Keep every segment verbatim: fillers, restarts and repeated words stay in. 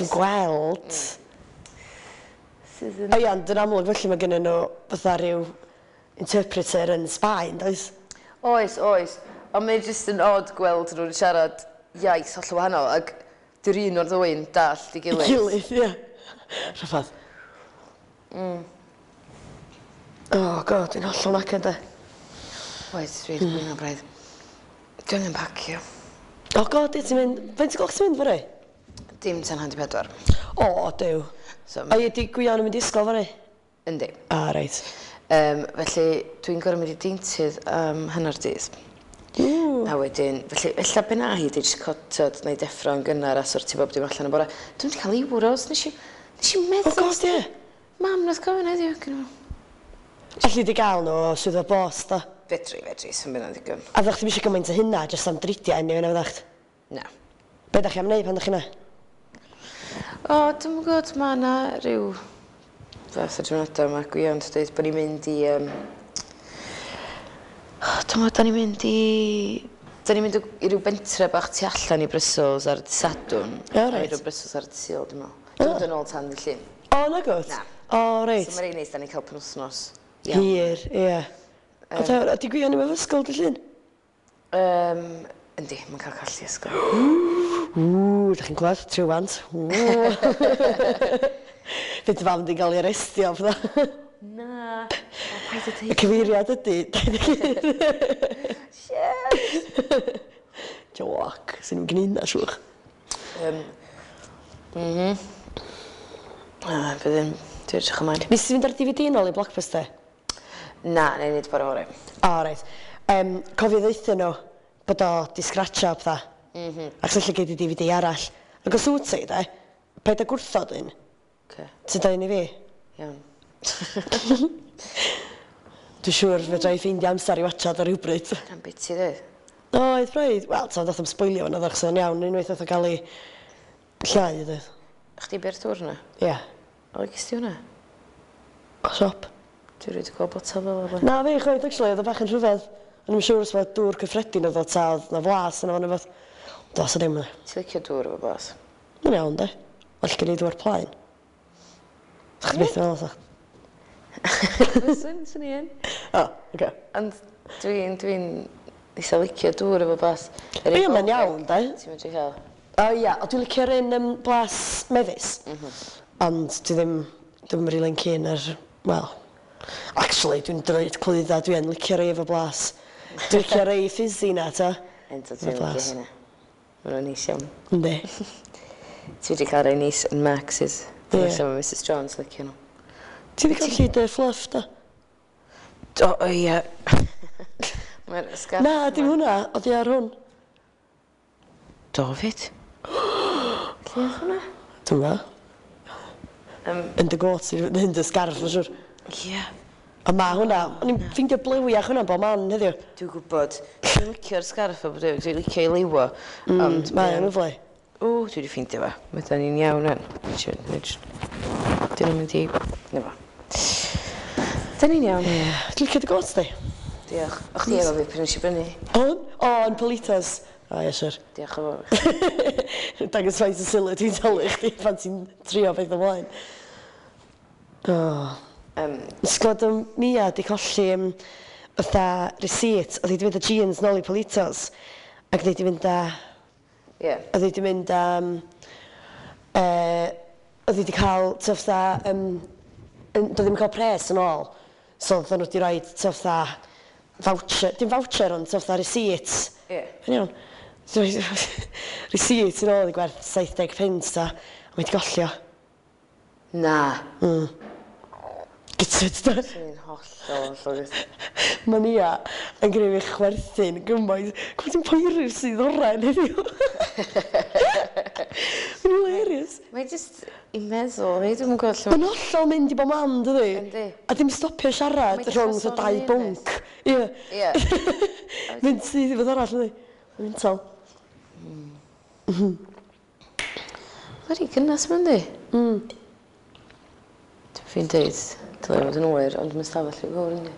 Dwi'n gweld. Sydd yn... O ia, ond yn amlwg felly mae gennyn nhw fatha rhyw interpreter yn Sbaen, does? Oes, oes. Ond mae'n jyst yn odd gweld nhw'n siarad iaith hollol wahanol, ac di'r un o'r ddwy'n dallt i gilydd. Gilydd, ie. Rhyfedd. Mm. Oh God, dwi'n hollol knackered de. Oes, dwi'n mm. blino braidd. Dwi angen pacio. Oh God, ie, ti'n mynd... Faint o gloch ti'n mynd fory? Dim tan hanner pedwar. O, Duw. So, O ie, di Gwion yn mynd i ysgol fory? Yndi. Ah, reit. Um, felly, dwi'n gorfod mynd i deintydd am hanner dydd. Ww. A wedyn, felly, ella be na hi, di jyst cotod neu deffro yn gynnar a sortio bob dim allan y bore. Dwi'n wedi cael euros, nes i, nes i meddwl. Oh God, ie. Mam, nath gofyn heddiw. gynno fo. Alli di gael nhw o swyddfa bost, da. Fedri, fedri, sy'n mynd ddigon. A fyddech chdi'm eisiau gymaint o hynna, jyst am dridiau anyway, na fyddech? Na. Be da chi am wneud pan da chi yna? O, dwi'm yn gwybod, mae yna rhyw fath o drefniadau mae Gwion yn dweud bod ni'n mynd i... Um... Dwi'n gwybod, da ni'n mynd i... Da ni'n mynd i ryw bentre bach tu allan i Brussels ar dydd Sadwrn. O, reit. A i ryw Brussels ar dydd Sul, dwi'n meddwl. Dwi'n mynd yn ôl tan ddydd Llun. O, na gwt? Na. O, reit. So mae'n reit neis, da ni'n cael penwthnos. Iawn. Hir, ie. O, da, ydi Gwion ddim efo ysgol dydd Llun? Um, yndi, mae'n cael colli ysgol. Ww, da chi'n clywed? Trywant. Fydd dy fam di'n cael ei arestio, fatha. Na. O, paid â Y deud. cyfeiriad ydy, dau ddeg un. Shit! Joc, sy'n nhw'n gwneud na, siwch. Um, mhm. Ah, bydd yn... Dwi'n edrych ymlaen. Nes ti fynd ar D V D nôl i Blockbuster? Na, na i wneud bore fory. O, reit. Um, cofio ddeutha nhw bod o di scratcho a pethau. Mm -hmm. Ac lle gei di D V D arall. Ac os wyt ti, de, paid â gwrthod un. Okay. Ti'n dweud i fi? Iawn. Dwi'n siŵr fedra i ffeindio amser i watchad ar rhywbryd. Na'n biti, dweud. Oedd, braidd. Wel, ta, nath o'm sboilio fan oedd o'n iawn, unwaith nath o gael ei llai, dweud. Chdi be'r dŵr na? Ie. Yeah. O, gys ti hwnna? O, siop. Dwi rioed 'di gweld botel fel yma. Na fi, chwaith, actually, oedd o bach yn rhyfedd. O'n i'm siŵr os mae dŵr cyffredin oedd o ta, oedd na flas yna fo'n rhywbeth. Dos o ddim yna. Ti'n licio dŵr efo blas? Mae'n iawn, de. Well gen i ddŵr plaen. Chdi byth yn meddwl, sa? Fyswn, swn i yn. O, oce. Ond dwi'n, dwi'n eitha licio dŵr efo blas. Yr Ie, mae'n iawn, de. Ti'n medru cael? O ia, o dwi'n licio'r un um, blas mefus. Mm -hmm. Ond dwi ddim, dwi'm rili'n keen ar, wel, actually, dwi'n dweud clwydda, dwi yn licio rei efo blas. Dwi'n licio rei fizzy na, ta. Ento, dwi'n licio hynna. Maen nhw'n neis iawn. Yndi. Ti wedi cael rei neis yn Max's. Dwi'n Ie. yeah. mae Missus Jones licio nhw. Ti wedi colli dy fluff, da? Do, o ie. Mae'r sgarff. Na, dim hwnna, oedd hi ar hwn. Do, fyd. Lle oedd hwnna? Dwi'n gwybod. Um, Yn dy got, yn dy sgarff, mae'n siŵr. Ie. A ma hwnna, o'n i'n ffeindio blewiach hwnna bob man heddiw. Dwi'n gwybod. Dwi'n licio'r sgarff o bod dwi'n licio ei liwo. Mm, Ond mae o'n lyfli. O, dwi wedi ffeindio fo. Mae da ni'n iawn rwan. Dyn nhw'n mynd i... Na fo. Da ni'n iawn. Ie. Dwi'n licio dy got di? Diolch. O chdi efo fi pryd nes i brynu. On? O, yn Politas. O, ie, siwr. Diolch yn fawr. Dangos faint o sylw dwi'n talu chdi pan ti'n trio beth ymlaen. O. Um, Nes glwad am Mia di colli um, fatha receipt. Oedd hi di mynd â jeans nôl i Politos. Ac oedd hi di mynd â... Ie. Yeah. Oedd hi di mynd â... Um, uh, oedd hi di cael, ta fatha... Um, doedd ddim yn cael pres yn ôl. So oedden nhw wedi rhoi, ta fatha, voucher, dim voucher, ond ta fatha receipt. Ie. Yn iawn. Receipt yn ôl i gwerth saith deg punt, ta. A mae wedi golli o. Na. Mm. Gytid, da. Swn i'n hollol, hollol gytid. Mae Nia yn gwneud fi chwerthin gymaint. Gwybod ti'n poeri'r sydd oren heddiw. Mae'n hilarious. Mae jyst i meddwl, hei, dwi'm yn gwybod lle Mae'n hollol mynd i bob man, dydi? Yndi. A dim stopio siarad Mae rhwng jyst fatha dau sôn bwnc. Ie. Ie. Mynd syth i fod arall, yndi? Mae'n mental. Mae'n rhy gynnas ma'n di. Mm. Dwi'n fi'n deud, dylai fod yn oer, ond mae'n stafell i fawr, yndi.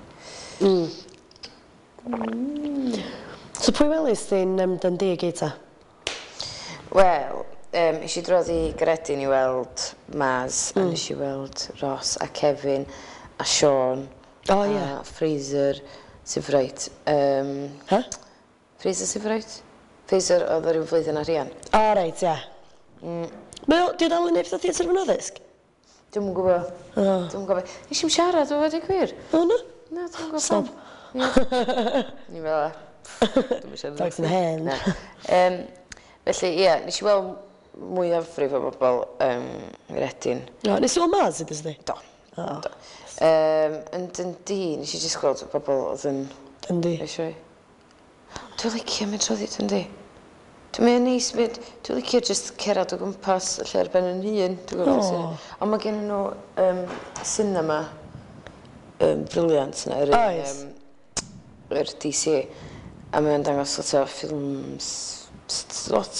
Mm. So pwy welys di'n um, Dundee gyd ta? Wel, Um, es i drwodd i Gaeredin i weld Maz, mm. a nes i weld Ross a Kevin a Sean. O, ie. A Fraser Sifright. Um, Huh? Fraser Sifright? Fraser oedd yr un flwyddyn ar Rhian. O, reit, ie. Mm. Mae o, di o dal yn neud pethau theatr mewn addysg? Dwi'm yn gwybod. O. Dwi'm yn gwybod. Nes i'm siarad o fod i gwir. O, na? Na, dwi'm yn gwybod Snob. pam. Ie. Ni fel 'a. Dwi'm yn siarad. Dogs in hand. Na. Um, felly, ie, nes i weld mwyafrif o bobl um, Redin. O, nes i weld Maz, ydys di? Do. O, Do. Um, yn Dundee, nes i jyst gweld bobl oedd yn yndi. eisiau. Dwi'n licio mynd trwy Dundee. Dwi'n mynd neis, mynd, dwi'n licio just cerdded o gwmpas y lle ar ben yn hun. Dwi'n gwybod beth O. sy'n. Ond mae gen nhw um, cinema um, brilliant yna, yr un, Oes. um, yr D C. A mae'n dangos lot o ffilms, s- lot.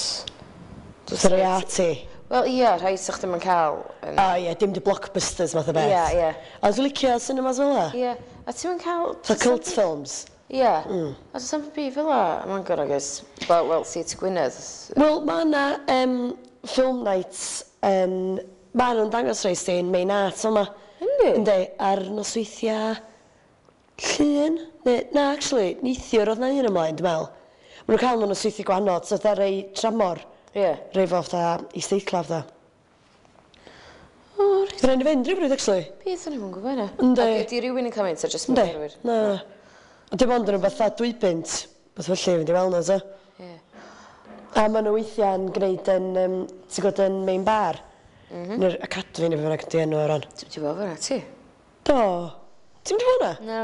Fatha rei arty. Wel, ia, rhai sa'ch ddim yn cael. Yn... O, ie, dim di blockbusters math o beth. Ie, ie. A dwi'n licio cinemas fel 'a? Ie, a ti'n mynd cael... Fatha cult films. Ie. A does na'm byd fel 'a ym Mangor, I guess. Wel, well, Theatr Gwynedd. Wel, mae yna um, film nights yn... Ma' nhw'n dangos rhai sy'n main art yma. Yndi? Yndi, ar nosweithiau Llun? Neu, na, actually, neithiwr oedd na un ymlaen, dwi'n meddwl. Ma' nhw'n cael nhw'n nosweithiau gwahanol, so fatha rei tramor. Ie. Rei fo fatha isdeitla fatha. O, reit. Fydd rhaid i fynd rhywbryd, actually. Beth o'n i'm yn gwybod hynna. Yndi. Ac ydi rhywun yn cael mynd, ta jyst Yndi. myfyrwyr? Na, na. Ond dim ond yn rhywbeth fatha dwy bunt. Beth felly, fynd i weld nhw, so. Ie. A maen nhw weithiau'n gwneud yn, um, ti'n gwybod, yn main bar. Mm -hmm. Neu'r academy neu beth bynnag ydi enw o ran. Ti'n ti bod fyna, ti? Do. Ti'n mynd i fod na? Na.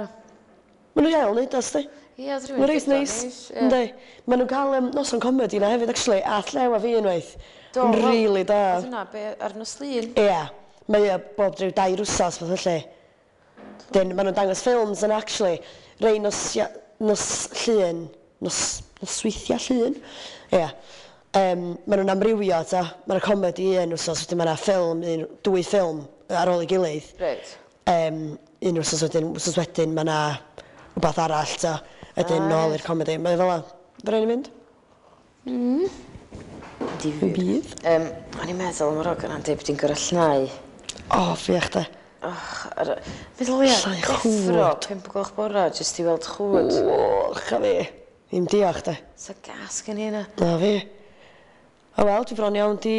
Maen nhw iawn neud o, sti. Ie, oedd rhywun Mae'n reit neis. Yndi. Maen nhw'n cael um, noson comedy na hefyd, actually, a Llew a fi unwaith. Do, Yn wel, really da. Oedd hwnna be ar nos Lun? Ie. Mae o bob rhyw dair wsos, fath felly. Dyn, maen nhw'n dangos ffilms yn actually. Rei nos, ia- nos Llun, nos, nosweithiau Llun. Ie. Um, maen nhw'n amrywio, ta. Maen nhw'n comedy un wsos, wedyn maen nhw'n ffilm, un, dwy ffilm ar ôl ei gilydd. Reit. Um, un wsos wedyn, wsos wedyn, mae yna rhywbeth arall, ta. Wedyn Ah, nôl reit. i'r comedy. Mae fel 'a. Fe rhaid i fynd? Difyr. Bydd. Um, o'n i'n meddwl am yr hogan yna'n deud bod hi'n gorau llnau. O, ffiach de. Och, ar... Meddwl ia, Llnau deffro, chwd. pump o gloch bora, jyst i weld chwd. O, cha fi. Ddim diolch de. Sa gas gen i yna. Na fi. O wel, dwi bron iawn di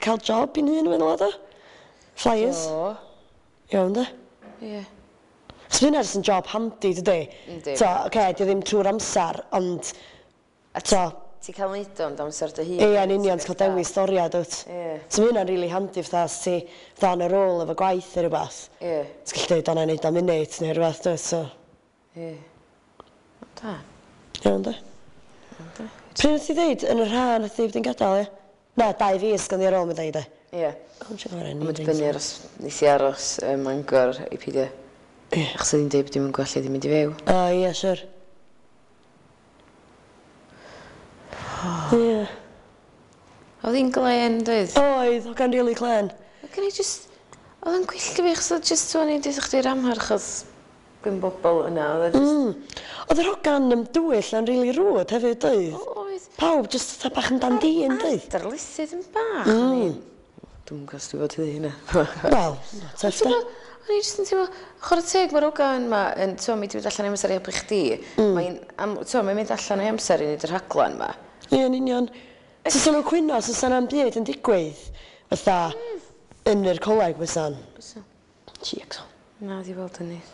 cael job i'n hun yn meddwl o. Flyers. O, Iawn de. ie. Chos mae hynna jyst yn job handi, dydy? Yndi. So, oce, okay, di o ddim trwy'r amser, ond... A So, Ti'n cael neud o ond amser dy hun. ie, yn union, ti'n cael dewis storiad, wyt. Ie. So mae hynna'n really handi, fatha, os ti fatha on a roll efo gwaith neu rhywbeth. Ie, Ti'n gallu dweud, o, na i neud o munud neu rhywbeth, dwyt, so... ie. O, da. Iawn, de. Pryd nath ti ddeud yn yr ha nath ti bod yn gadael, ie? Na, dau fis ganddi ar ôl, mi ddeud, e. Ie. O, mae'n siŵr Mae'n dibynnu ar os nes i aros ym Mangor i peidio. Ie. Achos oedd hi'n deud bod dim yn gwell i ddim mynd i fyw. O, ie, siwr. Ie. Oedd hi'n glen, doedd? Oedd, oedd gan really clen. Oedd gen i just... Oedd o'n gwylltio fi, achos oedd just o'n i'n dweud chdi'r amharch oedd gwyn bobl yna. Oedd o just... Mm. Oedd yr hogan um, dywyll yn really rude hefyd, doedd? Oedd. Pawb just fatha bach yn dan dîn, doedd? Darlithydd yn bach. Mm. Dwi'm yn gwybod os dwi fod i ddweud hynna. Wel, tough Ti'n de. gwbod, o'n i jyst yn teimlo, chwarae teg, mae'r hogan yma, yn, ti'n mi 'di mynd allan ei amser i helpu chdi. Mm. Mae'n, am, ti'n mae'n mynd allan o'i amser i wneud y rhaglen yma. Ie, yn union. So, sa'n nhw'n cwyno, so sa'n am byd yn digwydd, fatha, yn yr coleg, fysa'n. Bysa. Cheeks. Na, di weld yn neis.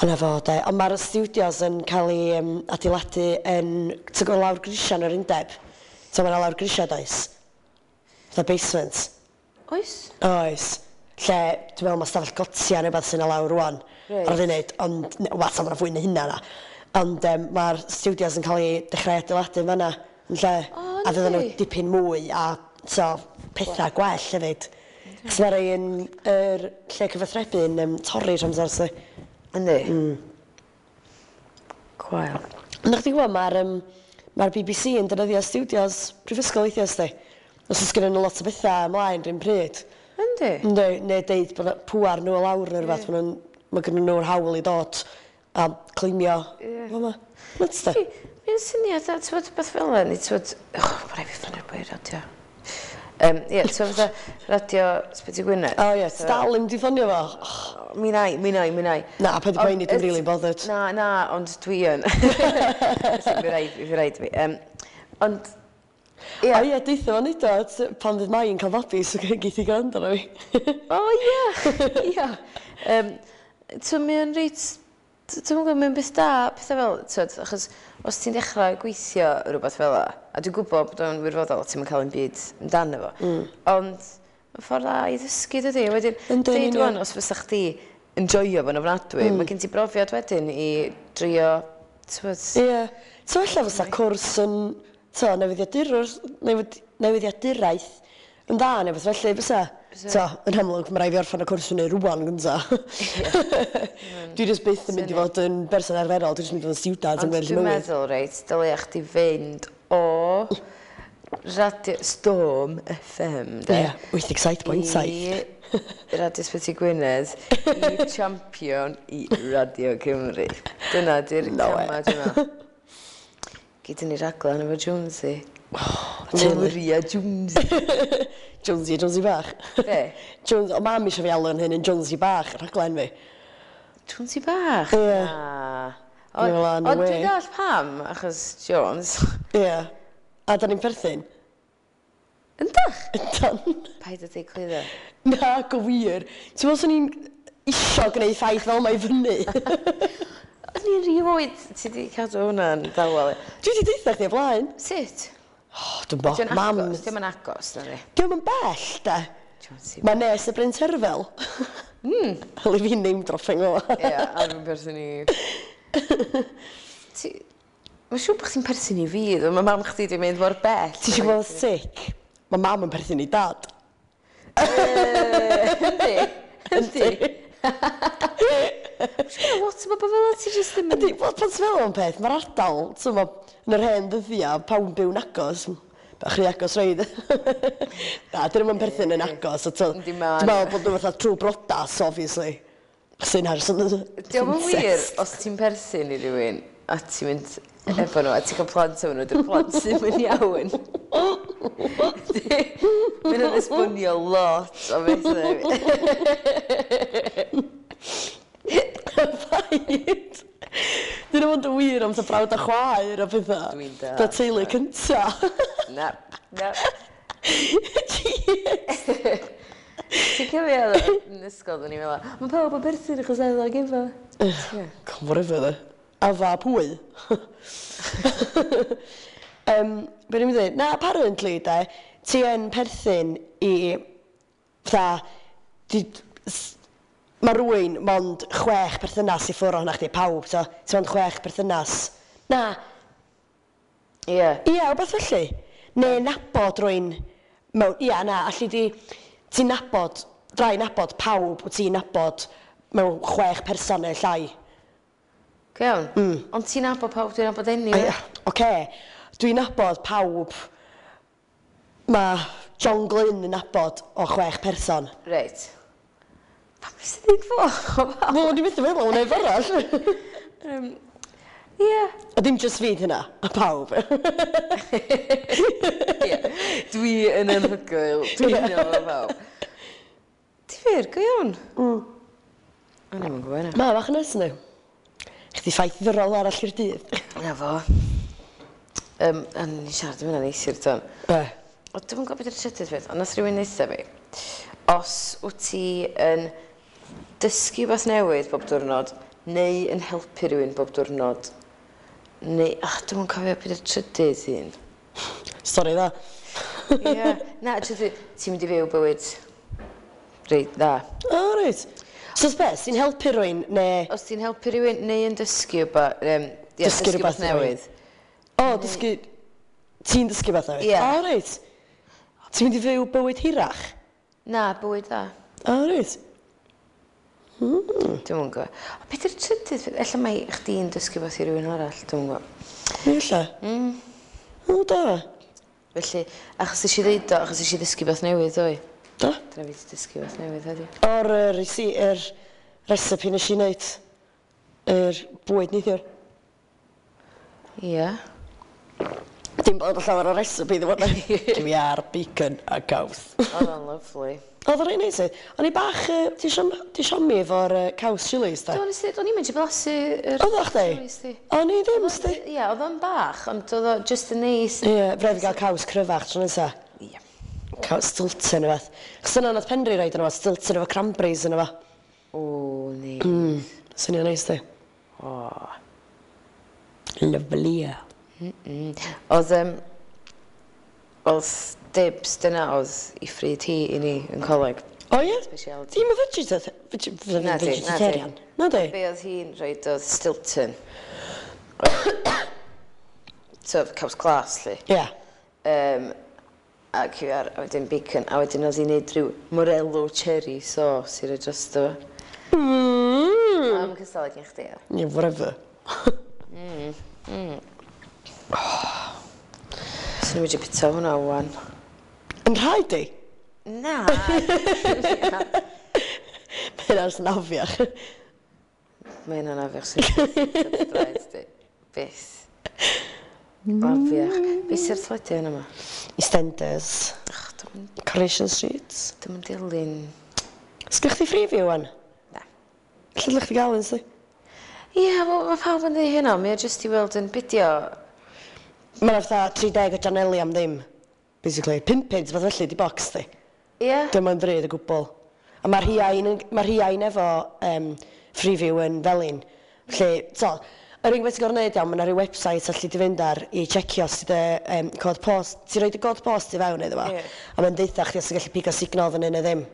Yna fo, de. Ond mae'r studios yn cael ei um, adeiladu yn... Ti'n gwybod lawr grisiau yn yr undeb? So mae'n lawr grisiau, does? Fatha basement. Oes? Oes. Lle, dwi'n meddwl mae stafell gotia neu beth sy'n yna lawr rwan. Reit. Ar y funud, ond, wel, ta mae'n fwy na hynna na. Ond um, mae'r studios yn cael ei dechrau adeiladu yn fanna, yn lle. O, a fydden nhw yndi? dipyn mwy a so, pethau gwell hefyd. Chos mae'r rhai yn yr lle cyfathrebu yn um, torri trwy amser, so. Yndi? Mm. Gwael. Ond chdi gwybod, mae'r um, mae'r B B C yn defnyddio studios prifysgol weithiau, sdi. Os oes gennyn nhw lot o bethau ymlaen rhywun pryd. Yndi? Yndi, neu deud bod pŵar nhw o lawr neu rhywbeth, yeah. Mae gennyn nhw'r hawl i dod a claimio. Ie. Fel 'ma. Nuts de. Mae'n syniad, a ti'n bod beth fel yna, neu ti'n bod... Och, mae rhaid fi ffonio'r boi radio. Um, ie, so fatha Radio Ysbyty Gwynedd. O ie, ti dal ddim di ffonio fo? Oh. Mi nai, mi nai, mi nai. Na, paid â poeni, dwi'n really bothered. Na, na, ond dwi yn. Felly, fi raid, fi raid fi. Um, ond, ie. O ie, deutha fo neud o, pan fydd Mai yn cael babi, so geith i gwrando arno fi. O ie, ie. Um, so mae o'n reit, dwi'n gwybod, mae'n beth da, pethau fel, twyd, achos os ti'n dechrau gweithio rhywbeth fel 'a, a dwi'n gwybod bod o'n wirfoddol, ti'n mynd cael un byd amdano fo, mm. ond mae'n ffordd dda i ddysgu, dydy. Wedyn, deud wan, os fysa chdi yn joio fo'n ofnadwy, mm. mae gen ti brofiad wedyn i drio, twyd... Ie. Yeah. So ella fysa cwrs yn, to, newyddiadurwr, newid, newyddiaduraeth yn dda neu beth felly, fysa? So, yn amlwg, mae rhaid fi orffen y cwrs hwnnw rwan gynta. Dwi jyst byth yn mynd i fod yn berson arferol, dwi jyst mynd i fod yn student yn gweddill mywyd. Ond dwi'n meddwl, reit, dylia chdi fynd o Radio Storm F M, de? Ie, wyth deg saith pwynt saith. I Radio Ysbyty Gwynedd, i Champion, i Radio Cymru. Dyna di'r No way. camau, dwi'n meddwl. Gyd ni raglen efo Jonesy. Oh, teulu. Maria Jonesy. Jonesy, Jonesy bach. Be? Jones, o mam eisiau fi alw yn hyn yn Jonesy bach, rhaglen fi. Jonesy bach? Ie. Na. Dwi'n meddwl, no Ond way. dwi'n dall pam, achos Jones. Ie. A da ni'n perthyn? Yndach? Yndan. Paid â deud clwydda. Na, go wir. Ti'n meddwl swn i'n isio gwneud ffaith fel mae i fyny? O'n i'n rhy oed, ti di cadw hwnna'n dawel. Dwi wedi deutha chdi o blaen. Sut? Oh, dwi'n bo. Dio'n Mam. agos, dio'm yn agos, na ni. Dio'm yn bell, de. Jonesy. Mae nes y Bryn Terfel. Mm. Hwyl i fi name dropping o. Ie, a fi'n perthyn i... Ti... Mae'n siŵr bod chdi'n perthyn i fi, ddo. Mae mam chdi di mynd mor bell. Ti eisiau gweld sick? Mae mam yn perthyn i dad. Yndi. Yndi. Mae'n siŵr lot o bobl fel 'na, ti jyst ddim yn... Yndi, wel, pan ti'n meddwl am peth, mae'r ardal, ti'n meddwl, yn yr hen ddyddiau, pawb yn byw'n agos. Bach rhy agos reid. Na, dyn nhw'n perthyn yn agos. a t'o- Yndi, ma' Dwi'n meddwl bod nhw fatha trwy brodas, obviously. Sy'n hars yn Dio'm yn wir, os ti'n perthyn i rywun a ti'n mynd efo nhw a ti'n cael plant efo nhw, dy'r plant sy'n mynd iawn. Mae'n yn esbonio lot o bethau. Paid. Dyn nhw'n mynd yn wir am ta brawd a chwaer a pethau. Dwi'n dallt. Ta teulu cynta. Na, na. Jeez. Ti'n cofio oedd yn ysgol, o'n i'n meddwl, mae pawb yn perthyn achos Adda ag Efa. Ie. Come whatever, dde. Afa pwy? um, be ni'n mynd i ddweud? Na, apparently, de, ti yn perthyn i, fatha, di, s- mae rhywun mond chwech perthynas i ffwrdd ohona chdi, pawb, so, ti mond chwech perthynas. Na, Ie. ia, rhywbeth felly. Neu nabod rhywun mewn, ia, na, allu di, ti'n nabod, drai nabod pawb wyt ti'n nabod mewn chwech person neu llai. Go iawn. Mm. Ond ti'n nabod pawb dwi'n nabod anyway. Ia, oce. Dwi'n nabod pawb. Mae John Glyn yn nabod o chwech person. Reit. Pam nes i ddweud fo? Wel, dwi'n methu meddwl am neb arall. Um, Ie. A dim just fi hynna, a pawb. Ie. Dwi yn anhygoel. Dwi'n nabod pawb. Difyr, go iawn. Mm. O'n i'm yn gwybod hynna. Ma, bach yn neis nhw. Chdi ffaith ddiddorol arall i'r dydd. Na fo. Um, a ni siarad am hynna neithiwr, ton. Be? O, dwi'm yn gwybod beth yw'r trydydd peth, ond nath rhywun ddeutha fi. Os wyt ti yn dysgu rhywbeth newydd bob diwrnod, neu yn helpu rhywun bob diwrnod, neu... Ach, dwi'm yn cofio beth yw'r trydydd un. Stori dda. Ie. Na, trydydd, ti'n mynd i fyw bywyd reit dda. O, reit. So, beth, ti'n helpu rhywun, neu... Os ti'n helpu rhywun neu yn dysgu rhywbeth, um, ie, Dysgu dysgu rhywbeth rhywbeth newydd. O, dysgu... Ti'n dysgu beth newydd? Ie. O, reit. Ti'n mynd i fyw bywyd hirach? Na, bywyd dda. O, reit. Mm. Dwi'm yn gwybod. O, beth yw'r trydydd peth? Ella mai chdi'n dysgu beth i rywun arall, dwi'm yn gwybod. Ella. Mm. O, da. Felly, achos nes i ddeud o, achos nes i ddysgu beth newydd, doi. Da. Dyna fi 'di dysgu beth newydd heddiw. O'r uh, resi, yr recipe nes i wneud. Yr bwyd neithiwr. Ie. Dim bod llawer o recipe ddim ond cyw iâr, bacon a caws. Oedd o'n lyfli. Oedd o'n reit neis. O'n i bach, uh, ti siom, ti siomi efo'r uh, caws chilies, da? Do, nes i, o'n i'n mynd i blasu yr Oedd o chdi? Chilies di. O'n i ddim, sti. Ie, oedd o'n bach, ond oedd o just yn neis. Ie, yeah, braidd i gael caws cryfach tro nesa. Ie. Caws Stilton o fath. Chos yna nath Penri roid yna fo, Stilton efo cranberries yna fo. O, neis. Mm, swnio'n neis di. O. Lovely. Mm. Oedd, um, oedd Dibs, dyna oedd i ffryd hi i ni yn coleg. O ie? Speciality. Dim y vegetarian? Na di, na di. Vegetarian? Na di? Be oedd hi'n rhoid oedd Stilton. So, caws glas, lle. Ie. Um, a cyw iâr, a wedyn bacon, a wedyn oedd hi'n neud rhyw morello cherry sauce i roi drosto fo. Mm. Am cystal ag un chdi. Yeah, whatever. Swn i'n wedi bita hwnna wan. Yn rhaid di? Na! Mae hynna'n snafiach. Mae hynna'n afiach sy'n draed di. Byth. Afiach. Be sy'r teledu yn yma? EastEnders. Ach, dwi'n Coronation Street. Dwi'm yn dilyn. Sgynnych chdi Freeview wan? Na. Lle dylech chdi gael un, sti? Ie, wel, mae pawb yn dweud hynna. Mae o jyst i weld yn bidio. Mae'n fatha tri deg o janeli am ddim. Basically. Pump punt, fath felly, di box di. Ie? Dim ond ddrud o gwbl. A mae'r rhiain, mae rhiain efo um, Freeview yn felin. Felly, so, yr unig beth ti'n gorfod neud iawn, mae yna rhyw website allu di fynd ar i checio os ti dy um, cod post. Ti'n rhoi dy god post i fewn iddo fo. Ie. A mae'n deutha chdi os ti'n gallu pigo signal fyny neu ddim.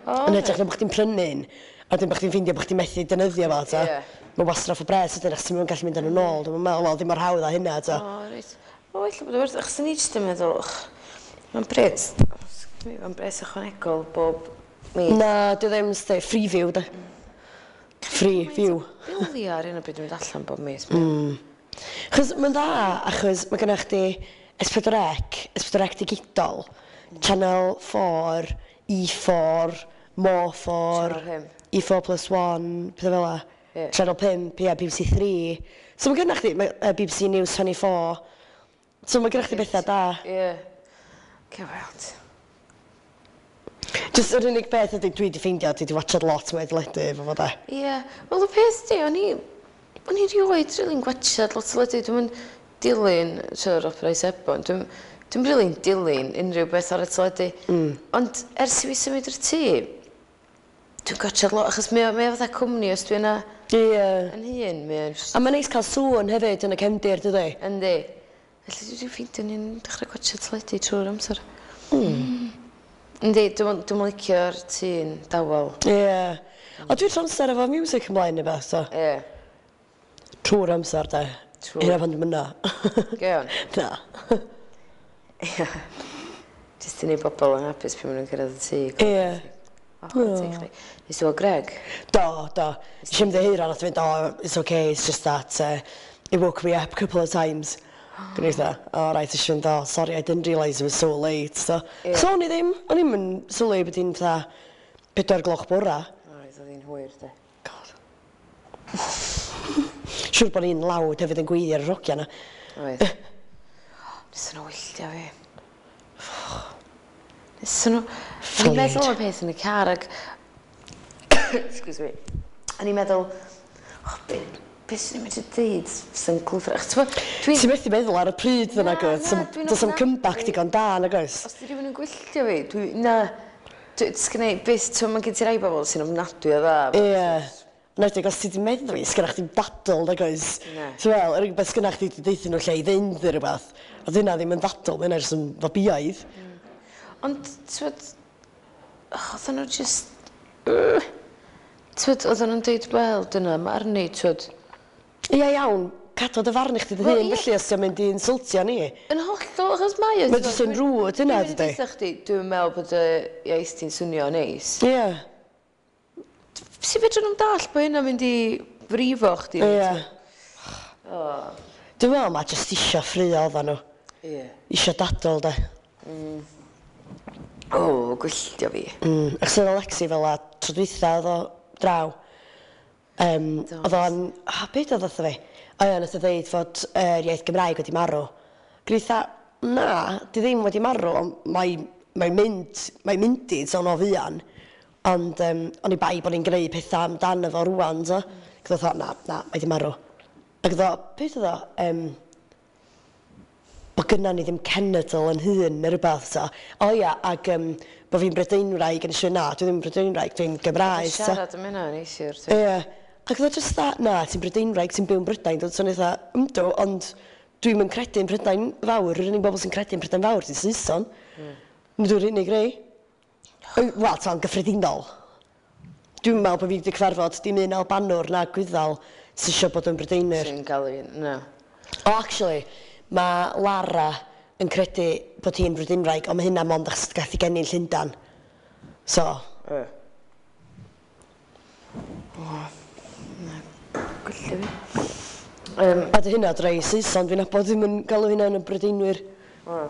O, Yn hytrach na bod chdi'n prynu un, a wedyn bod chdi'n ffeindio bod chdi'n methu defnyddio fo, ta. Ie. Mae'n wastraff o bres ydyn, achos ti'n mynd gallu mynd yn ôl. Dwi'n meddwl, wel, ddim mor hawdd â hynna, ta. O, reit. O, ella bod o werth. Achos o'n i jyst yn meddwl, och, mae'n bres. Mae'n bres ychwanegol bob mis. Na, dwi ddim, sti, Freeview, da. Free view. Bilio ar un o bryd yn mynd allan bob mis. Mm. Chos mae'n dda, achos mae gennych chdi S pedwar C, S pedwar C digidol, Channel four, E four, More four, Channel five. E four plus one, pethau fel 'a. Ie. Channel five, ie, B B C three. So mae gennych chdi, ma- yy, B B C News twenty-four. So mae gennych chdi bethau da. Ie. Cei weld. Just yr unig beth ydy dwi wedi ffeindio, dwi wedi watchad lot mwy o deledu efo fo da. Ie. Wel, y peth di, o'n i... O'n i rioed rili'n gwatchad lot o teledu. Dwi'n mynd dilyn, siarad Opera Sebon, dwi'n dwi'n rili'n dilyn unrhyw beth ar y teledu. Mm. Ond ers i fi symud i'r tŷ, dwi'n gwatchad lot, achos mae o, mae o fatha cwmni os dwi yna Ie. yn hun, mae o'n just A mae'n neis cael sŵn hefyd yn y cefndir, dydy? Yndi. Felly dwi wedi ffeindio ni'n dechrau gwatchad teledu trwy'r amser. Mm. Yndi, dwi'n dwi'n licio'r tŷ'n dawel. Ie. A dwi'n amser efo music ymlaen neu beth, so. Ie. Trwy'r amser, de. Trwy'r- Hynna pan dwi'n mynd na. Gewn. Na. Ie. Jyst i neud bobl yn hapus pan maen nhw'n cyrraedd y tŷ. Ie. O, chwarae teg chdi. Nes i weld Greg? Do, do. Nes i'm ymddiheuro, nath fynd, "Oh, it's okay, it's just that uh, it woke me up a couple of times." Gwneud dda, "Oh, right," eisiau fynd, "Oh, sorry, I didn't realise it was so late." So, Ie. so o'n i ddim, o'n i'm yn sylwi bod hi'n fatha pedwar gloch bora. O, reit, oedd hi'n hwyr, de. God. Siwr bod ni'n lawd hefyd yn gweiddi ar y rogia na. Oedd. Nes nhw wylltio fi. Nes nhw... O'n i'n meddwl am y peth yn y car ac... Excuse me. O'n i'n meddwl, oh, be, be sy'n i'n mynd i ddeud sy'n glwfr? Achos t'mo', dwi'n Ti'n methu meddwl ar y pryd dda Na, nag oes? na, dwi'n Does am ofnadwy. comeback digon da nag oes? Os di rhywun yn gwylltio fi, dwi... Na. Dwi, sgynna i byth, ti'n mae gen ti rai bobl sy'n ofnadwy o dda. Ie. Nedig, os ti di meddwi, sgynna chdi'm dadl, nag oes? Na. Ti'n fel, yr unig beth sgynna chdi di deutha nhw lle i fynd neu rhywbeth. A dyna ddim yn ddadl, mae hynna jyst yn fabiaidd. Ond, ti'n oedden nhw just... Ti'n oedden nhw'n deud, wel, dyna, mae arni, ti'n Ie, iawn, cadw dy farn i chdi dy Wel, hun, ie. felly os ti'n mynd i insultio ni. Yn hollol, achos mae o. Mae jyst yn rude hynna, Dwi'n dydi? mynd i chdi, dwi'n meddwl bod y iaith ti'n swnio neis. Ie, Sut fedrwn nhw'n dall bod hynna'n mynd i frifo chdi? ie. O, Dwi'n meddwl mae jyst isio ffrio oedden nhw. ie. Isio dadl, de. O, gwylltio fi. Mm. Achos oedd Alexi fel a tro dwytha oedd o draw. Um, Do. oedd o'n... Ah, beth oedd wrtho fi? O ie, nath o ddeud fod yr iaith Gymraeg wedi marw. Gwneitha, na, di ddim wedi marw, ond mae'n mae mynd, mae'n mynd i, so no fuan. Ond um, o'n i bai bod ni'n gwneud pethau amdano fo rwan, so. Ac oedd o, na, na, mae di marw. Ac oedd o, beth oedd o, um, bod gynna ni ddim cenedl yn hun neu rhywbeth, so. O ia, ac um, bod fi'n Brydeinwraig yn eisiau, na, dwi ddim yn Brydeinwraig, dwi'n Gymraeg, so. Siarad am hynna neithiwr. Ie. Ac oedd o just that, na, ti'n Brydeinwraig, ti'n byw yn Brydain, dod so eitha, yndw, ond dwi'n yn credu yn Prydain fawr, yr unig bobl sy'n credu yn Prydain fawr, ti'n Saeson. Mm. Dwi'n unig rei. Wel, ta'n gyffredinol. Dwi'n meddwl bod fi wedi cyfarfod dim un Albanwr na Gwyddel sy'n eisiau bod yn Brydeinwyr. Sy'n gael ei... Na. O, actually, mae Lara yn credu bod hi'n Brydeinwraig, ond mae hynna mond achos gath ei geni'n Llundain. So. E. O, na. Gwylio fi. Um, A dy hynna drei Saeson, dwi'n nabod ddim yn galw hynna yn y Brydeinwyr. O.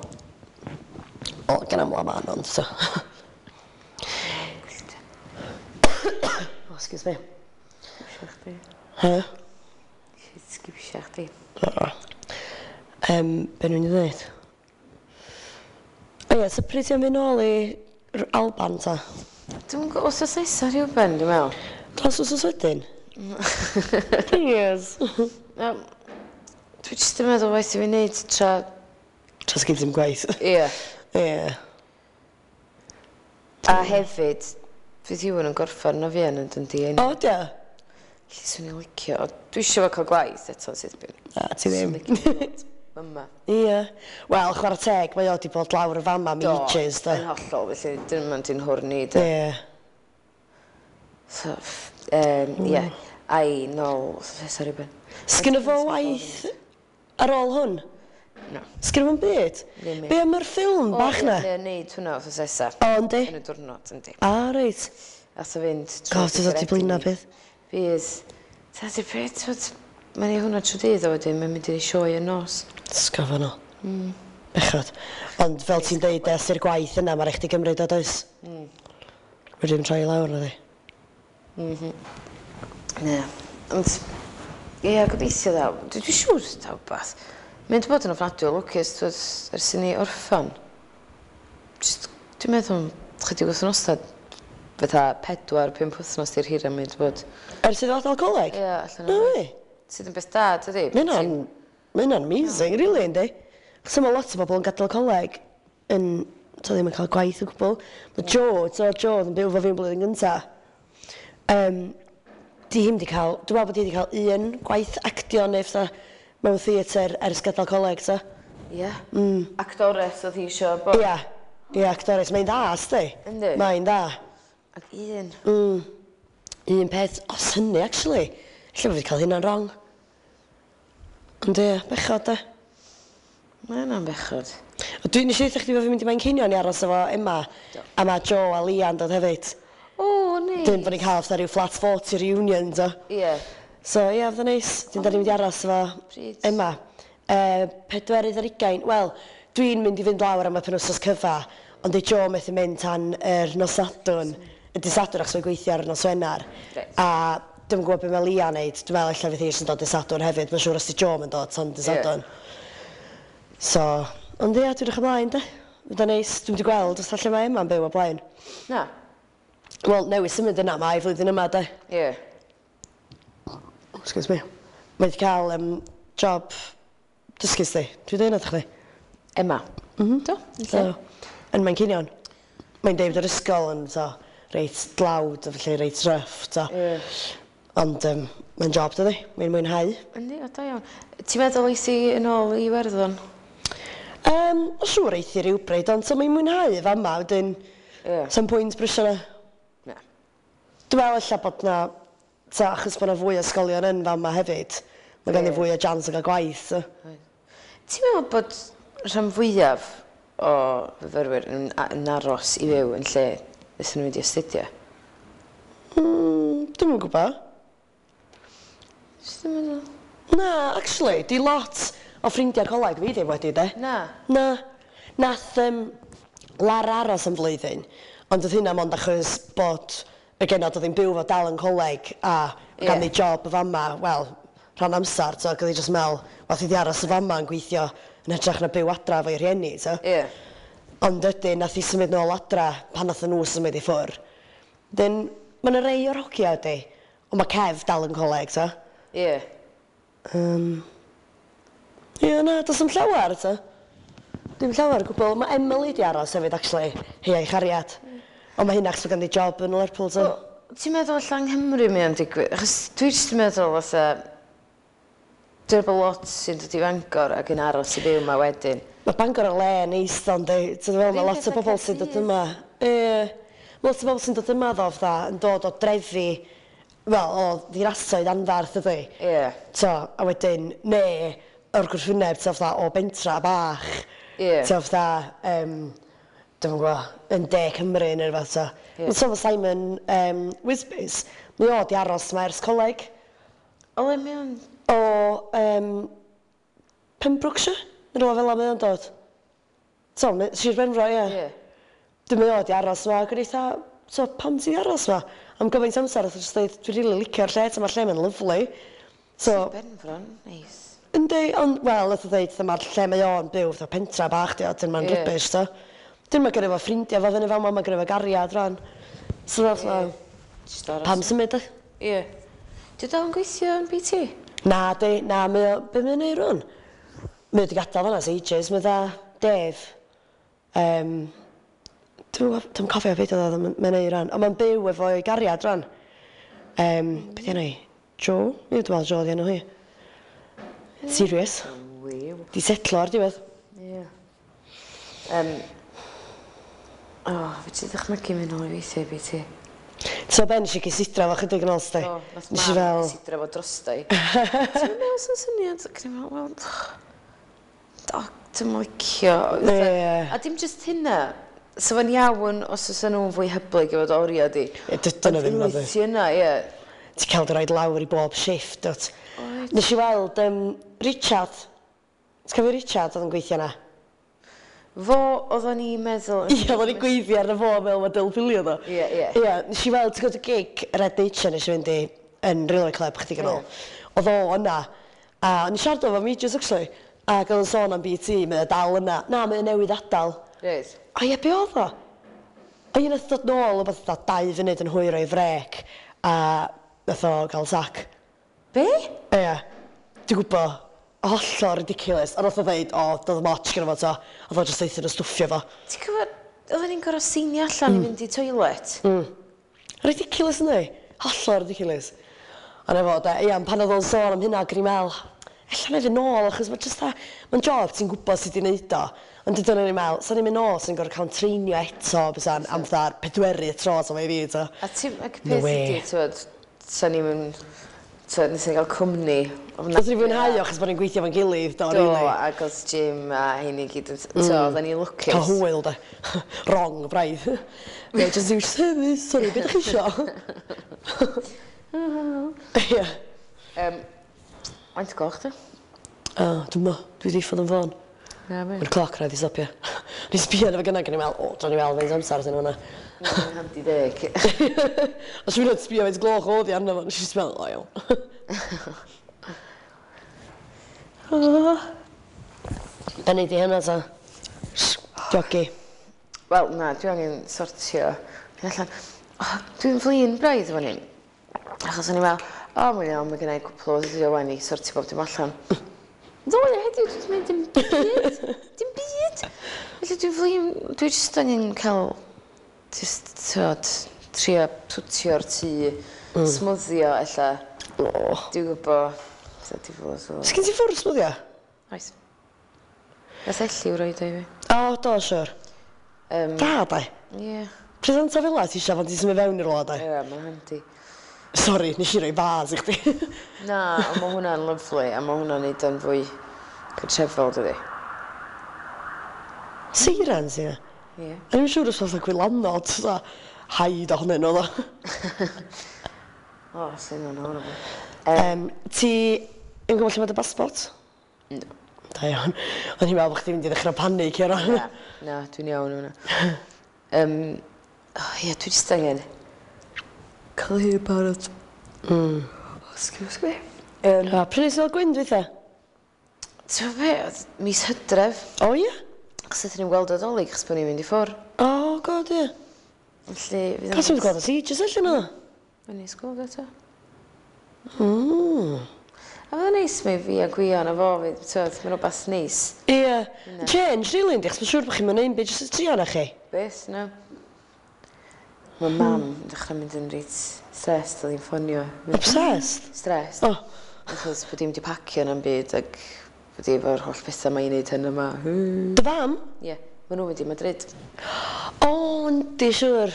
O, gen amla man, ond so. Oh, excuse me. Sgwsio chdi. He? Sgwsio chdi. Um, be nhw'n i ddweud? O ie, so pryd ti'n mynd nôl i Alban ta? Dwi'n gwybod, os oes nesa rhyw ben, dwi'n meddwl. Dros os wedyn? Please. Um, dwi jyst yn meddwl waith i fi wneud tra... Tra sgyn ddim gwaith. Ie. Ie. A hefyd, fydd Iwan yn gorffan o fi yn yn di. O, dia? Lle swn i'n licio. Dwi eisiau fo cael gwaith eto, sydd bin. Na, ti ddim. Yma. Ie. Wel, chwarae teg, mae o di bod lawr y fama am ages, da. Yn hollol, felly dyn nhw'n di'n hwrni, da. Ie. So, um, ie. Ai, nôl, sorry, Ben. Sgynno fo waith ar ôl hwn? No. Sgynno fo'n byd? Ddim. Be am yr ffilm bach na? O, ie, neud hwnna wrth nesa. O, yndi? Yn y diwrnod, yndi. A, reit. Ath o fynd God, ti'n dod i blino peth. Fydd. Ta, di'r peth, twyd, mae'n ei hwnna trwy dydd o wedyn, mae'n mynd i'r sioe yn nos. Sgafo nhw. Mm. Bechod. Ond fel ti'n deud, es i'r gwaith yna, mae rhaid chdi gymryd o, does? Mm. Wedyn troi lawr, na di. Mhm. Na. Ond, ie, gobeithio ddaw. Dwi dwi siŵr daw wbath. Mae'n wedi bod yn ofnadwy o lwcus, twyd, ers i ni orffan. Just, dwi'n meddwl, chydig wythnosau, fatha pedwar, pump wythnos di'r hira mae'n wedi bod. Ers iddo adael coleg? Ie, allan No o. way. Sydd yn beth da, dydi? Mae hynna'n... Mae hynna'n amazing, really, yndi? Achos mae lot o bobl yn gadael coleg yn... To ddim yn cael gwaith o gwbl. Mae Joe, so Joe oedd yn byw efo fi'n blwyddyn gynta. Um, di hi'm di cael... Dwi'n meddwl bod hi di cael un gwaith actio neu fatha mewn theatr ers gadael coleg, ta. Ie. Mm. Actores oedd hi eisiau bod. Ia, ia, actores. Mae'n dda, sti. Yndi. Mae'n dda. Ac un. Mm. Un peth, os hynny, actually. Ella bod fi wedi cael hynna'n wrong. Ond ie, bechod, de. Mae hynna'n bechod. O, Dwi'n eisiau ddeutha chdi bod fi'n mynd i Manceinion i aros efo Emma. Do. A mae Joe a Lian dod hefyd. O, neis. Dyn bod ni'n cael fatha rhyw flat forty reunion, do. Ie. So, ie, fydd o'n neis. Dyn da ni'n mynd i aros efo Pryd? Emma. Uh, pedwerydd ar ugain. Wel, dwi'n mynd i fynd lawr am y penwsos cyfa, ond di Joe methu mynd tan yr nos Sadwrn. Y dydd Sadwrn achos mae'n gweithio ar y nos Wener. Reit. A dwi'm yn gwybod beth mae Lia wneud. Dwi'n meddwl ella fydd hi jyst yn dod dydd Sadwrn hefyd. Mae'n siŵr os di Joe yn dod tan dydd Ie. Sadwrn. So, ond ia, dwi'n edrych ymlaen, de. Fydd o'n neis. Dwi'n wedi gweld os lle mae Emma'n byw o blaen. Na. Wel, newydd symud yna, mae flwyddyn yma, de. Ie. Excuse me. Mae wedi cael um, job dysgu sti. Dwi'n dweud wrth chdi. Emma. Mm -hmm. Do, yn So, lle? yn Manceinion. Mae'n deud yr ysgol yn so, reit dlawd a felly reit rough. So. Ie. Ond um, mae'n job, dydi? Mae'n mwynhau. Yndi, o da iawn. Ti'n meddwl eith i yn ôl i Iwerddon? Um, o siŵr eith i rywbryd, ond so mae'n mwynhau fama, wedyn Ie. Some pwynt brysio na. Na. Dwi'n meddwl ella bod na, ta, achos bod na fwy o ysgolion yn fama hefyd, mae gen i Ie. fwy o chance o gael gwaith. So. Ti'n meddwl bod rhan fwyaf o fyfyrwyr yn, yn aros i fyw yn lle ydyn nhw'n mynd i astudio? Mm, dwi'm yn gwybod. Jyst yn meddwl. Na, actually, di lot o ffrindiau coleg fi ddim wedi, de. Na. Na. Nath um, Lara aros am flwyddyn, ond oedd hynna mond achos bod y genod oedd hi'n byw fo dal yn coleg a Ie. ganddi job y fama, wel, rhan amser, so oedd hi jyst meddwl, wath i di aros y fama yn gweithio Yn hytrach na byw adra efo'i rhieni, so. Ie. Yeah. Ond ydyn, nath i symud nôl adra pan nath nhw symud i ffwr. Dyn, mae yna rei o'r hogia ydi, ond mae Kev dal yn coleg, so. Ie. Yeah. Um, Ie, yeah, na, does dim llawer, so. Dim llawer o gwbl. Mae Emily di aros hefyd, actually, hi a'i chariad. Mm. Ond mae hynna achos mae ganddi job yn Lerpwl, so. Well, ti'n meddwl allan Nghymru mae o'n digwydd? Achos dwi jyst yn meddwl fatha... Dwi'n meddwl lot sy'n dod i Fangor ac yn aros i fyw yma wedyn. Mae Bangor yn le neis ddo, yndi? Ti'n meddwl, mae lot o bobl sy'n dod yma. Ie. Mae lot o bobl sy'n dod yma ddo, fatha, yn dod o drefi, wel, o ddinasoedd anfarth ydy. Ie. So, a wedyn, ne, o'r gwrthwyneb, ti'n fatha, o bentra bach. Ie. Ti'n fatha, um, dwi'n gwybod, yn De Cymru neu rhywbeth, so. Ie. Ond so, Simon um, Wisbys, mae o di aros yma ers coleg. O le mae o'n... O um, Pembrokeshire? Neu rhywle fel 'na mae o'n dod. So, Sir Benfro, ie. Ie. Dwi'n meddwl o di aros yma, ac o'n i fatha, so pam ti di aros yma? Am gymaint amser, oedd jyst dweud, dwi'n rili licio'r lle, mae'r lle mae'n lyfli. So, Sir Benfro'n neis. Yndi, ond, wel, nath o dweud, mae'r lle mae o'n byw, fatha pentra bach, di, dyn mae'n Ie. rubbish, so. Dyn mae gynno fo ffrindiau fo fyny fel ma, mae gynno fo gariad rhan. So, fatha, Jyst aros. pam symud, e? Ie. Dwi dal yn gweithio yn B T? Na, di, na, mae o, be mae'n neud rwan? Mae o di gadael fan'na ers ages, mae dda Dave. Um, dwi'n dwi cofio beth oedd o, mae'n neud rwan. Ond mae'n byw efo'i gariad rwan. Um, be di enw hi? Joe? Ie, dwi'n meddwl Joe di enw hi. Serious. Wiw. Di setlo ar diwedd. Ie. Um, o, oh, fe ti ddychmygu mynd nôl i weithio i B T? So ben nes i gysidro fo chydig yn ôl, sti. Do, nath Nes i mam fel... cysidro fo drosta i. Ti'n meddwl sy'n syniad? Ac o'n i'n meddwl, wel, do, dwi'm yn licio. Ie. A dim jyst hynna. So fo'n iawn os oes nhw'n fwy hyblyg efo dy oriau di. Ie, dydyn nhw ddim, Ond nadi. unwaith ti yna, ie. Ti'n cael dy roid lawr i bob shift, dwt. Oed. Nes i weld um, Richard. Ti'n cofio Richard oedd yn gweithio yna? Fo oedden ni'n meddwl... Ie, oedden ni'n gweithio arno fo fel mae Dyl Filio ddo. Ie, ie. Ie, nes i weld, ti'n gwybod y gig Red Nature nes i fynd i yn Railway Club chydig yn ôl. Oedd o yna. A o'n i siarad efo Majors, actually. Ac oedd o'n sôn am B T, mae o dal yna. Na, mae o newydd adael. Reit. O ie, be oedd o? O ie, nath dod nôl o beth fatha dau funud yn hwyr o'i frec. A nath o gael sac. Be? Ie, dwi'n gwybod. Hollol ridiculous. A nath o ddeud, o, doedd moch gyda fo to. Oedd o jyst deutha nhw stwffio fo. Ti'n cofio, oedden ni'n gorfod seinio allan mm. i fynd i toilet? Mm. Ridiculous, yndi? Hollol ridiculous. A na fo, de, ia, pan oedd o'n sôn am hynna, ac o'n i'n meddwl, ella na i fynd nôl, achos mae jyst a, mae'n job ti'n gwybod sut i wneud o. Ond dyna o'n i'n meddwl, sa'n i'n mynd nôl, sa'n gorfod cael treinio eto, bysa'n am fatha'r pedwerydd tro, so mae i fi, to. A ti'n, ac No peth way. ydi, ti'n sa'n ni'n mynd, ti'n nes i gael cwmni. Nath ni fwynhau o, achos bod ni'n gweithio fo'n gilydd, do, Do, really. ac oedd Jim a hyn i gyd, mm. so oedden ni'n lwcus. Cael hwyl, de. Wrong, braidd. Yeah, just do service, sorry, beth ydych chi isio? Ie. Um, Faint o gloch di? O, dwi'n mo, dwi di ffod yn ffôn. Na, be. Mae'r cloc rhaid i stopio. O'n i'n sbio arno fo gynna, ac o'n i'n meddwl, o, dwi'n i weld faint amser sy'n hwnna. Mae'n handi deg. Os dwi'n mynd sbio faint gloch oedd i arno fo, nes i just meddwl, o iawn. Be nei di hynna ta? Jogi. Wel, na, dwi angen sortio. Hyn allan. Oh, dwi'n flin braidd efo ni. Achos o'n i'n meddwl, o, mae'n iawn, mae gennai cwpl o ddyddiau wan i sortio bob dim allan. Ddoe, heddiw, dwi wedi mynd dim byd. Dim byd. Felly dwi'n flin, dwi jyst angen cael, jyst, tywod, trio twtio'r tŷ, mm. smwddio, ella. O. Dwi'n gwybod, fatha diflas o. Sgyn ti ffwrdd smwddio? Oes. Nath Elliw roid o i fi. O, do, siwr. Um, Da, de. Ie. Presenta fel la ti eisiau pan ti'n symud fewn i'r wlad, de? Ie, mae'n handi. Sori, nes i roi fas i chdi. Na, ond mae hwnna'n lyfli, a mae hwnna'n neud o'n fwy cartrefol, dydi? Seirans, ie. Ie. O'n i'n siŵr os fatha gwylanod, fatha haid ohonyn nhw, ddo. O, sy'n hwnna'n horrible. Um, ti yn gwybod lle mae dy basbort? No. Da iawn. O'n i'n meddwl bod chdi'n mynd i ddechrau panic i ran. Na, na, dwi'n iawn hwnna. Um, oh, ie, dwi jyst angen cael hi barod. Mm. Oh, excuse me. Um, A pryd nes i ddod gwyn dwytha? Ti'n be, oedd mis Hydref. O ie? Achos ydyn ni'n gweld o Dolig, achos bod ni'n mynd i ffwr. O, god, ie. Felly, fydd Pas ti'n gweld o ti, jyst allan o? Mae'n neis gweld eto. Mm. A fydd yn neis mae fi a Gwion a fo, fydd, ti'n mae'n rhywbeth neis. Ie. Change, really, yndi, achos mae'n siŵr bod chi'n mynd byd jyst y tri o'na chi. Beth, no. Mae mam yn dechrau mynd yn reit stressed, oedd hi'n ffonio. Obsessed? Stressed. O. Achos bod hi'n wedi pacio na'n byd ac bod hi efo'r holl bethau mae'n neud hyn yma. Dy fam? Ie, yeah, maen nhw'n mynd i Madrid. O, yndi, siŵr.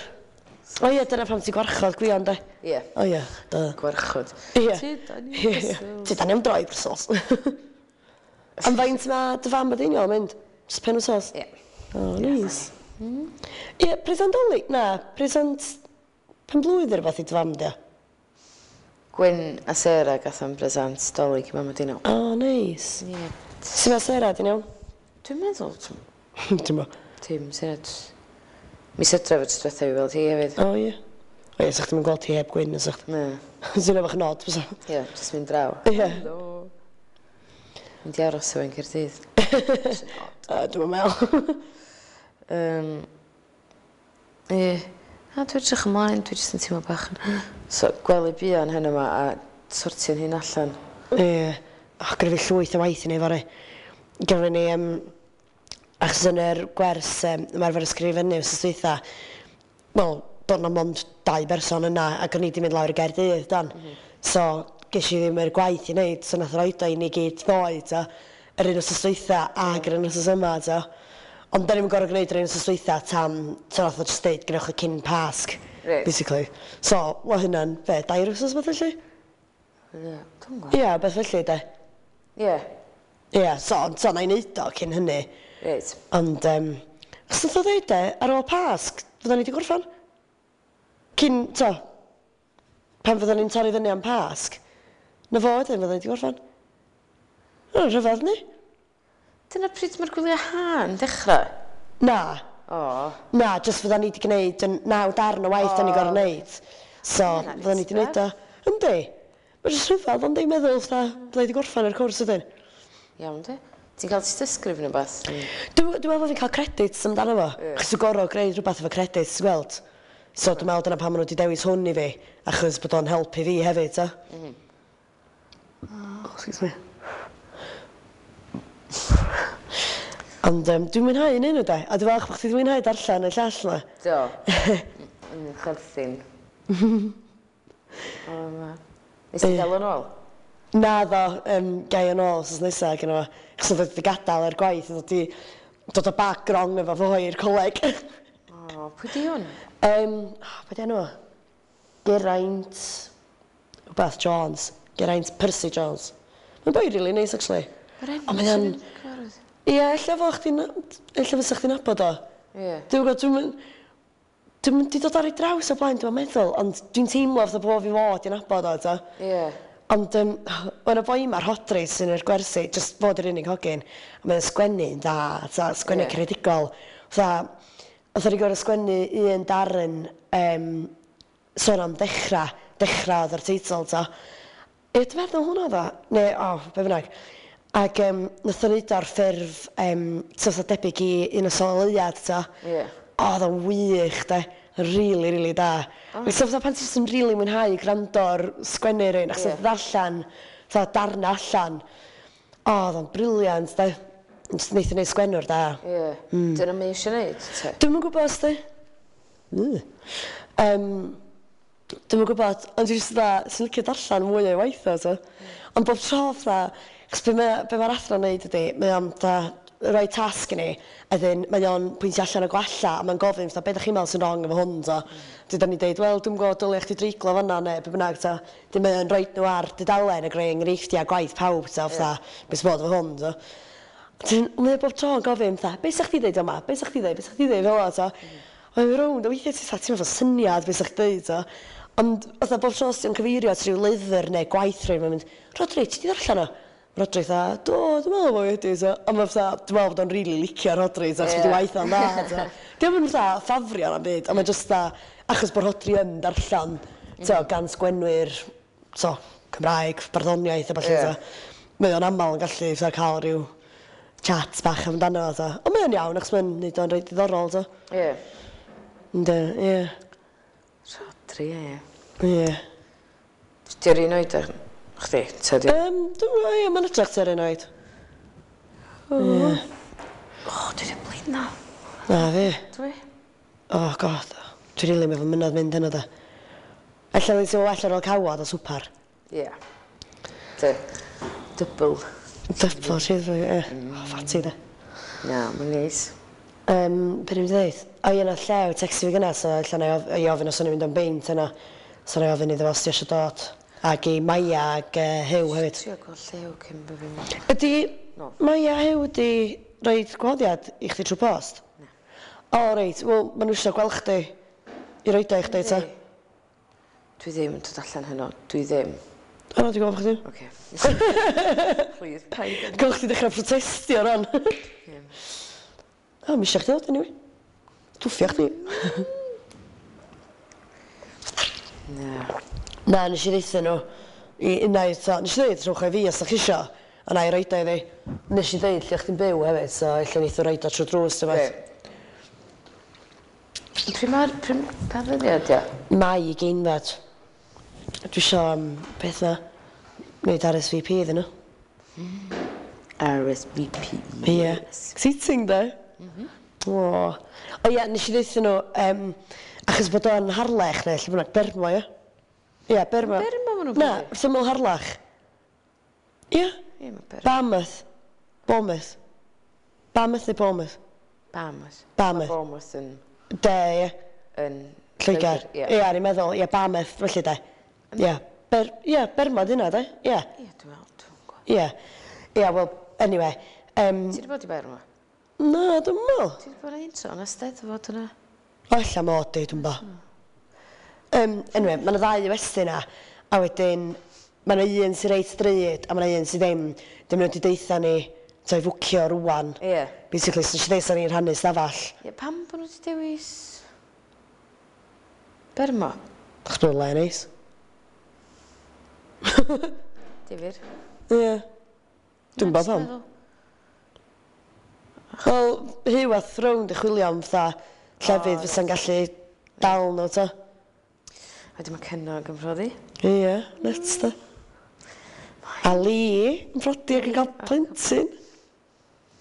O ie, dyna pam ti'n gwarchod Gwion, de. Ie. O ie, da. Gwarchod. Ie. Ti, da ni Ie, ie. Ti da ni am droi Brussels. Am faint mae dy fam a Deiniol yn mynd? Just pen wsos? Ie. O, neis. Ie, present Dolig? Na, present pen blwydd neu rhywbeth i dy fam, di o? Gwyn a Sarah gath am bresant Dolig i mam a Deiniol. O, neis. Ie. Sut mae Sarah, di'n iawn? Dwi'n meddwl, Dwi'n meddwl. Tim, syniad. Mis Hydref y tro diwethaf i weld hi hefyd. O, ie. O ie, sa'ch chdi'n gweld hi heb Gwyn, sa'ch Na. Sy'n efo nod, bysa. Ie, jyst mynd draw. Ie. Helo. Mynd i aros efo yn Caerdydd. Uh, Dwi'n meddwl. Um, ie. Na, dwi'n edrych ymlaen, dwi jyst yn teimlo bach yn... So, gwely buan hyn yma a sortio'n hyn allan. Ie. O, gyda fi llwyth o waith i neud fory. Gyda ni, um, achos yn yr gwers um, ymarfer ysgrifennu wsos dwytha, wel, doedd 'na mond dau berson yna, ac o'n i wedi mynd lawr i Gaerdydd, dan. Mm -hmm. So, ges i ddim yr gwaith i wneud, so nath roed o i ni gyd ddoe, ta, yr un wsos dwytha ac yr un wsos yma, ta. Ond da ni'n gorfod gwneud yr un wsos dwytha tan, so nath o just deud, gwnewch o cyn Pasg, Reit. basically. So, wel hynna'n, be, dair wsos beth felly? Ie, dwi'n gwybod. Ie, beth felly, de. Ie, Ie, so, so na i wneud o cyn hynny. reit. Ond, um, achos nath o ddeud e, ar ôl Pasg, fydden ni wedi gorffan. Cyn, to, pan fydden ni'n torri fyny am Pasg, na fo wedyn fydden ni wedi gorffan. O, rhyfedd ni? Dyna pryd mae'r gwyliau ha'n dechrau? Na, O, na, jyst fydden ni wedi gwneud yn naw darn o waith da ni gorfod wneud. So, Hynna'n fydden ni wedi gwneud o. Yndi. Mae'n jyst rhyfedd, ond i'n meddwl, fatha, fydden ni wedi gorffan yr cwrs ydyn. iawn de. Ti'n cael tystysgrif neu beth? Dwi'n dwi meddwl bod fi'n cael credits amdano fo. Ie. Achos dwi'n gorfod gwneud rhywbeth efo credits, ti'n gweld. So dwi'n meddwl dyna pam maen nhw wedi dewis hwn i fi, achos bod o'n helpu fi hefyd, ta. Mm. Oh, excuse me. Ond um, dwi'n mwynhau un nhw, de. A dwi'n falch bod chdi 'di mwynhau darllen y llall na. Do. Yn chwerthin. O, ma. Nes ti gael o'n ôl? Na ddo, um, gai yn ôl wsos nesaf gyda fo. Achos oedd wedi gadael yr gwaith, oedd wedi dod o bag wrong efo fo i'r coleg. O, pwy di hwn? Um, oh, be di enw? fo? Geraint... Wbath Jones. Geraint Percy Jones. Mae'n boi really nice, actually. Mae'r enw Ond mae o'n... sy'n cyfarwydd. Ie, ella fo chdi'n... Ella fysa chdi'n nabod o. Ie. Dwi'n gwybod, dwi'n... mynd- Dwi'n mynd i dod ar ei draws o blaen, dwi'n meddwl, ond dwi'n teimlo fatha bod fi fod i'n nabod o, ta. Ie. Ond um, o'n y boi yma, Rhodri, sy'n yr gwersi, just fod yr unig hogyn, a mae'n sgwennu'n dda, ta, sgwennu Ie. yeah. creadigol. Fatha, oedd o'n gorfod sgwennu un darn um, sôn am dechrau, dechrau oedd yr teitl, ta. Ie, dwi'n meddwl hwnna dda. Neu, o, oh, be bynnag. Ac um, nath o'n neud o ar ffurf, um, so fatha debyg i un o Soleuad, ta. Ie. O, oedd o'n wych, de. Really, really da. Oh. So fatha pan ti'n jyst yn really mwynhau gwrando ar sgwennu rhywun, achos Ie. yeah. ddarllen, fatha darna allan. O, oedd o'n brilliant, de. Jyst wnaeth o'n neud sgwennwr da. Ie. Dyna mae eisiau neud, te? Dwi'm yn gwybod os di. Mm. Um, dwi'm yn gwybod, ond dwi'n jyst dda, sy'n licio darllen mwy o'i waith o, so. Ond bob tro fatha, chos be mae'r be ma athro'n neud ydi, mae o'n fatha rhoi tasg i ni, a dyn mae o'n pwyntio allan y gwalla, a mae'n gofyn, fatha, be ydych chi'n meddwl sy'n wrong efo hwn, so. Mm. Dyn ni'n deud, wel, dwi'n gwybod, dylia chdi dreiglo fan'na, neu be bynnag, so. Dyn mae o'n rhoi nhw ar dudalen a greu enghreifftiau gwaith pawb, so, fatha, beth sy'n bod efo hwn, so. Dyn, mae o bob tro yn gofyn, fatha, be sa'ch chdi ddeud yma? Be sa'ch chdi ddeud? Be sa'ch chdi ddeud fel 'na, so. Mae'n mynd rownd, a weithiau ti'n fatha, ti'n meddwl syniad be sa'ch chdi ddeud, so. Ond, fatha, bob tro os ti'n cyfeirio at ryw lyfr neu gwaith rhywun, mae'n mynd, Rodri, ti di ddarllen o? Rodri fatha, do, dwi'n meddwl bod fi wedi, so. A mae fatha, dwi'n meddwl bod o'n rili licio Rodri, so, achos Ie. bod ei waith o'n dda, so. Dio'm yn fatha ffafrio na'n byd, ond mae'n just fatha, achos bod Rodri yn darllen, so, gan sgwenwyr, so, Cymraeg, barddoniaeth a ballu, Ie. so. Mae o'n aml yn gallu fatha cael rhyw chat bach amdano fo, ta. Ond mae o'n iawn, achos mae'n neud o'n reit diddorol, ta. Ie. Ynddi, ie. Rhodri, ie. Ie. Di'r un oed â chdi? Ta di? Um, dwi'n gwybod, ie, mae'n edrych tua'r un oed. Ie. O, dwi wedi blino. Na fi. Dwi? Oh God, dwi'n rili meddwl mynadd mynd hynny da. Ella dwi'n teimlo well ar ôl cawod a swpar. Ie. Dy. Double. Double cheeseburger, ie. Oh, fatty da. Na, mae'n neis. Um, be ni'n dweud? O ie, nath Llew textio fi gynna, so ella na i of- i ofyn os o'n i'n mynd am beint yna. So na i ofyn iddo fo os ti eisiau dod. Ac i Maia ac uh, Huw hefyd. Trio gweld Llew cyn bod fi'n mynd. Ydy No. Maia a Huw wedi rhoi gwahoddiad i chdi trwy post? Na. O, reit, wel, maen nhw eisiau gweld chdi i roid o i chdi, ta. Dwi ddim yn dod allan heno. Dwi ddim. O, na, dwi'n gwybod chdi. Oce. Please, paid. Gweld chdi dechrau protestio ran. Ie. O, mi eisiau chdi ddod, anyway. Dwffio chdi. Na. Na, nes i ddeutha nhw. I unai, ta, nes i ddeud rhowch o i fi os da chi isio. A na i roid o iddi. Nes i ddeud lle chdi'n byw hefyd, so ella neith o roid o trwy drws, ti'n beth. Pryd mae'r... Pryd pa ddyddiad, ia? Mai i geinfed. Dwi isio, um, beth na, wneud R S V P iddyn nhw. R S V P. Ie. Exciting, de? O. O ie, nes i ddeutha nhw, um, achos bod o'n Harlech neu lle bynnag, Bermo, ie? Ie, Bermo. Bermo ma' nhw'n Na, byw? wrth ymyl Harlech. Ie. Ie, mae Bermo. Barmouth. Bournemouth. Barmouth neu Bournemouth? Barmouth. Barmouth. Mae Bournemouth yn... De, ie. Yn... Lloegr. Ie. Ie, ni'n meddwl, ie, Barmouth, felly de. Ie. Ber, ie, Bermo di hynna, de? Ie. Ie, dwi'n meddwl, dwi'n gwybod. Ie. Ie, wel, anyway. Um, Ti wedi bod i Bermo? Na, dwi'n meddwl. Ti wedi bod un tro yn y Steddfod yna? O, ella mod i, dwi'n bo. Um, anyway, mae yna ddau westy yna, a wedyn, mae yna un sy'n reit drud, a mae yna un sydd ddim. Dim nhw wedi deutha ni, ta i fwcio rŵan. Ie. Basically, so nes i ddeud sa ni'n rhannu stafell. Ie, pam bod nhw wedi dewis Bermo? Achos bod o'n le neis. Difyr. Ie. Dwi'n Na, bo pam. jyst meddwl. Wel, Huw a Throne di chwilio am fatha llefydd O, fysa'n gallu dal nhw, ta. A wedyn mae Cynog yn prodi. Ie, nuts da. A Lee yn prodi ac yn cael plentyn.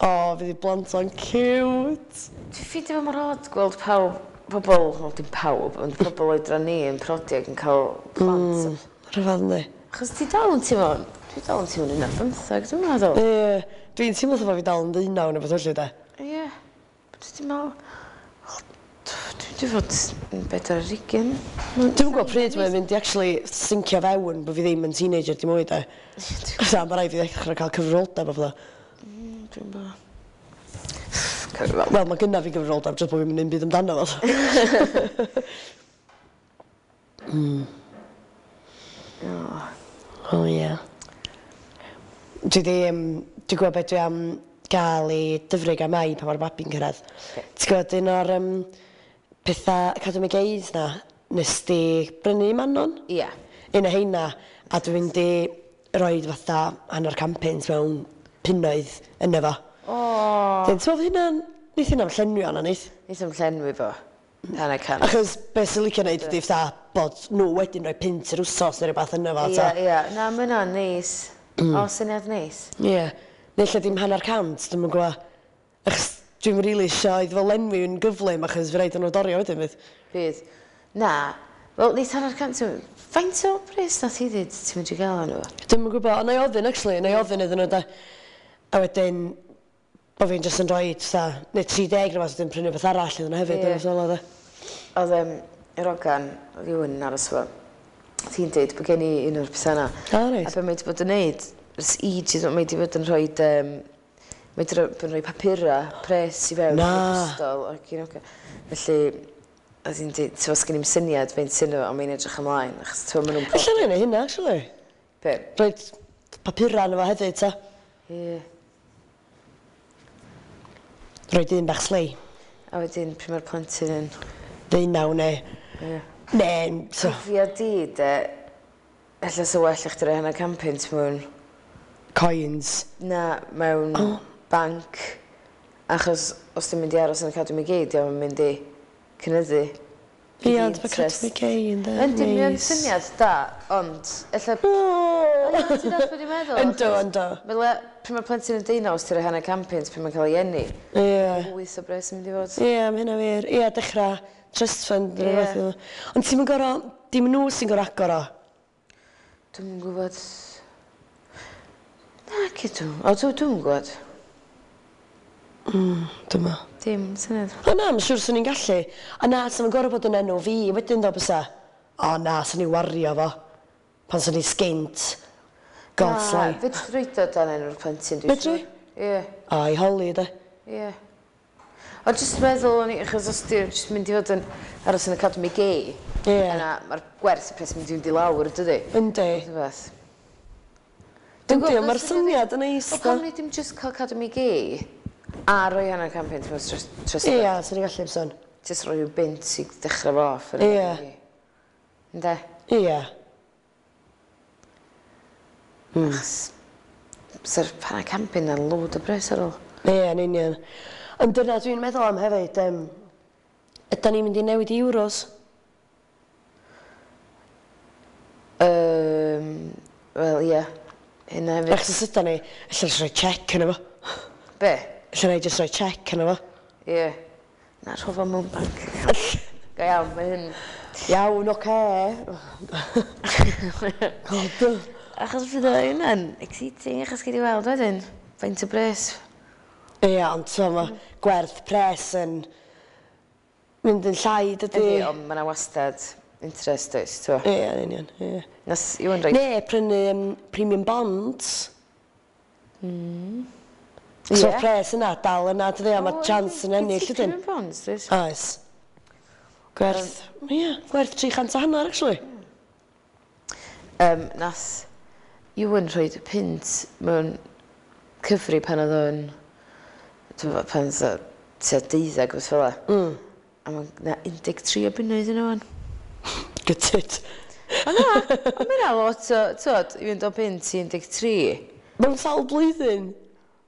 O, fydd i blant o'n cute. Dwi'n ffeindio fo mor od gweld pawb, pobl, wel dim pawb, ond pobl oedran ni yn prodi ac yn cael plant. Mm, rhyfedd yndi. Achos ti dal yn teimlo, dwi dal yn teimlo'n un ar bymthag, dwi'n meddwl. Ie, dwi'n teimlo fatha bod fi dal yn ddeunaw neu beth felly de. Ie. Dwi'n meddwl, wel, dwi'n dwi fod yn bedwar ar hugain. Dwi'm yn gwybod pryd mae'n mynd i actually sincio fewn bod fi ddim yn teenager dim mwy de. Fatha, mae rhaid fi ddechrau cael cyfrifoldeb a pethau. Dwi'n bo. Cyfrifol. Wel, mae gynna fi gyfrifoldeb, jyst bod fi'n mynd byd amdano fo. Mm. O. O ie. Dwi di, um, dwi'n gwybod beth dwi am gael i Dyfrig a Mai pan mae'r babi'n cyrraedd. Ti'n gwybod un o'r um, pethau Academy Gays na, nes di brynu i Manon? Ie. Un o heina, a dwi'n mynd i roid fatha hanner can punt mewn punnoedd yno fo. O. Dwi'n meddwl hynna'n, neith hynna'n llenwi o'na, neith? Neith o'm llenwi fo. Hanner cant. Achos beth sy'n licio neud ydi fatha bod nhw wedyn rhoi punt yr wsos neu rhywbeth yno fo. Ie, ta. ie. Na, mae hynna'n neis. O, syniad neis. Ie. Neu lle dim hanner cant, dwi'm yn gwybod. Achos dwi'm rili isio iddo fo lenwi yn gyflym achos fi raid nhw dorio wedyn fydd. Bydd. Na. Wel, neith hanner cant... Faint o bres nath hi ddweud ti'n mynd i gael nhw? Dwi'm yn gwybod, ond na i ofyn actually, na i ofyn iddyn nhw da. A wedyn, bo fi'n jyst yn rhoi fatha, neu tri deg neu rhywbeth, wedyn prynu beth arall iddyn nhw hefyd, Ie. yeah. fel 'na. Oedd um, yr ogan, oedd Iwan yn aros efo, ti'n deud bod gen i un o'r pethau yna. O, reit. A be mae wedi bod yn neud, ers ages, mae wedi bod yn rhoi, um, mae wedi bod yn rhoi papura, pres i fewn Na. i'r ysgol. Ac un oce. Felly, oedd hi'n deud, ti'n sgen i'm syniad fe'n sy'n ond mae'n edrych ymlaen, achos ti'n maen nhw'n Ella na i neud hynna, actually. Be? Rhoid papura yno fo hefyd, ta. Ie. Rhoid un bach slei. A wedyn, pryd mae'r plentyn yn... Ddeunaw neu... Ie. Neu, so... Cofia di, de, ella sa well i chdi roi hanner can punt mewn Coins. Na, mewn oh. banc. Achos os ti'n mynd i aros yn y Academy Gay, di o'n mynd i cynyddu. Ie, ond mae Academy Gay yn dda. Yndi, mae'n syniad da, ond ella... Ti'n dall beth i'n meddwl? Ynddo, ynddo. Fel pryd mae'r plentyn yn deunaw, os ti'n rhoi hanner can punt pryd mae'n cael ei eni. Ie. Wyth o bres yn mynd i fod. Ie, mae hynna wir. Ie, dechrau trust fund. Ie. Ond ti'n gorau, dim nhw sy'n gorau agor o? Dwi'm yn gwybod. Na, cydw. O, dwi'm yn gwybod. Mm, dyma. Dim syniad. O na, mae'n siŵr swn i'n gallu. A na, swn i'n gorfod bod yn enw fi wedyn ddo bysa. O na, swn i'n wario fo. Pan swn i'n sgint. God's life. Na, fedri roid o dan enw'r plentyn, dwi'n siŵr. Fedri? Ie. O, i holi, de. Ie. O, jyst meddwl o'n i, achos os ti'n jyst mynd i fod yn aros yn Academy Gay. Ie. Yna, mae'r gwerth y pres mynd i fynd i lawr, dydy? Yndi. Rhywbeth. Yndi, ond mae'r syniad yn neis. O, pam ni dim jyst cael Academy Gay? A rhoi hanner can punt mewn trust fund. Ie, swn i'n gallu byswn. Jyst rhoi rhyw bunt i ddechrau fo off. Ie. Ynde? Ie. Achos, sa'r hanner can punt yn load o bres ar ôl. Ie, yn union. Ond dyna dwi'n meddwl am hefyd, um, ydan ni'n mynd i newid i euros? Um, Wel, ie. Hynna hefyd. Achos os ydan ni, ella jyst rhoi check yna fo. Be? Ella na i jyst rhoi check yna fo. Ie. Na, rho fo mewn banc. Go iawn, mae hyn... Iawn, oce. God. Achos fydd o hynna'n exciting, achos gei di weld wedyn. Faint o bres. Ie, ond so mae gwerth pres yn mynd yn llai, dydy. Ydy, ond mae yna wastad interest, oes, ti'n Ie, yn union, ie. Nas Iwan rhoi... Ne, prynu um, premium bonds. Mm. So yeah. Pres yna, dal yna, dydy, a mae chance yn ennill, ydyn. Premium bonds, dweud? Oes. Gwerth, ie, yeah, gwerth tri chant a hanner, actually. Um, nath Iwan rhoi punt mewn cyfri pan oedd o'n... Pan oedd o tua deuddeg, beth fel 'a. Mm. A mae'n na un deg tri o bunnoedd yna wan. Gutted. O na, ond mae 'na lot o, t'wod, i fynd o punt i un deg tri. Mewn sawl blwyddyn?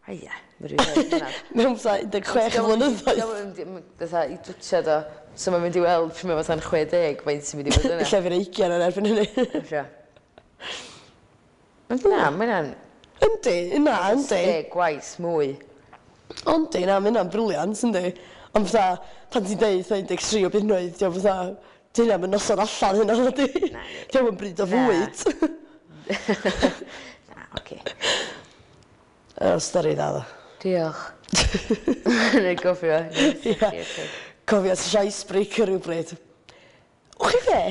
O ia, mae rhywun yn hynna. Mewn fatha un deg chwech o flynyddoedd. Fatha i dwtsiad o, so mae'n mynd i weld pryd mae fatha'n chwe deg, faint sy'n mynd i fod yna. Ella fydd ugain yn erbyn hynny. Ella. Ond na, mae hynna'n... Yndi, na, yndi. Deg gwaith mwy. Yndi, na, mae hynna'n brilliant, yndi. Ond fatha, pan ti'n deud fatha un deg tri o bunnoedd, diolch fatha, di hynna yn noson allan hynna, ydi? Diolch yn bryd o fwyd. Na, oce. O, stori dda, ddo. Diolch. Neu gofio. Ie. Cofio, ti eisiau icebreaker rhywbryd. O, chi fe?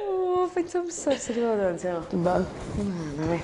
O, faint amser sydd wedi bod o'n teimlo? Dwi'n meddwl. Na, na fi.